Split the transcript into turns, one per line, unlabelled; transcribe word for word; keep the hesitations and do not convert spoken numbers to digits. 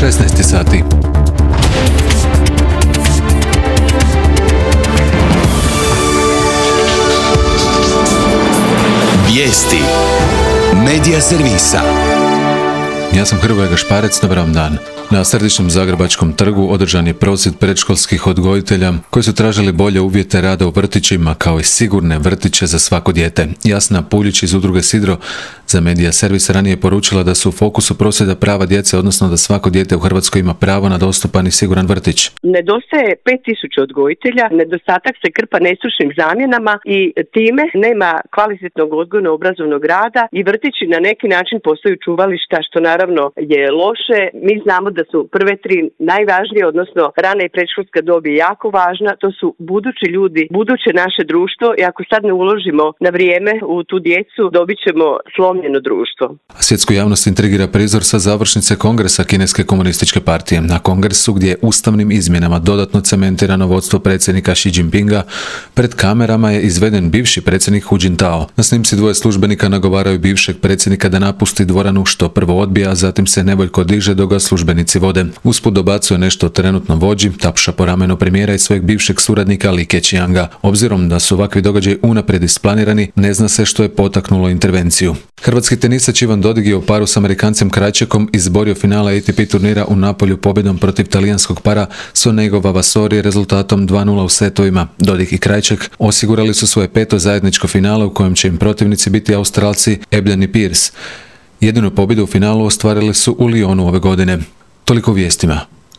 šesnaest sati.
Vijesti Medija servisa.
Ja sam Hrvoje Gašparec, dobar vam dan. Na središnjem Zagrebačkom trgu održan je prosvjed predškolskih odgojitelja koji su tražili bolje uvjete rada u vrtićima kao i sigurne vrtiće za svako dijete. Jasna Puljić iz udruge Sidro za Medija servis ranije poručila da su u fokusu prosvjeda prava djece, odnosno da svako dijete u Hrvatskoj ima pravo na dostupan i siguran vrtić.
Nedostaje pet tisuća odgojitelja, nedostatak se krpa nestručnim zamjenama i time nema kvalitetnog odgojno-obrazovnog rada i vrtići na neki način postaju čuvališta, što naravno je loše. Mi znamo da su prve tri najvažnije, odnosno rana i predškolska dob je jako važna, to su budući ljudi, buduće naše društvo i ako sad ne uložimo na vrijeme u tu djecu, dobit ćemo slomljeno društvo.
Svjetsku javnost intrigira prizor sa završnice kongresa Kineske komunističke partije. Na kongresu gdje je ustavnim izmjenama dodatno cementirano vodstvo predsjednika Xi Jinpinga, pred kamerama je izveden bivši predsjednik Hu Jintao. Na snimci dvoje službenika nagovaraju bivšeg predsjednika da napusti dvoranu, što prvo odbija, a zatim se nevoljko diže dok ga službenici vode. Usput dobacuje nešto o trenutnom vođi, tapša po ramenu premijera i svojeg bivšeg suradnika Li Keqianga. Obzirom da su ovakvi događaji unaprijed isplanirani, ne zna se što je potaknulo intervenciju. Hrvatski tenisač Ivan Dodig je u paru s Amerikancem Krajčekom izborio finale A T P turnira u Napolju pobjedom protiv talijanskog para Sonego Vavasori rezultatom dva nula u setovima. Dodig i Krajček osigurali su svoje peto zajedničko finale u kojem će im protivnici biti Australci Ebden i Pearce. Jedinu pobjedu u finalu ostvarili su u Lyonu ove godine. Toliko u vijestima.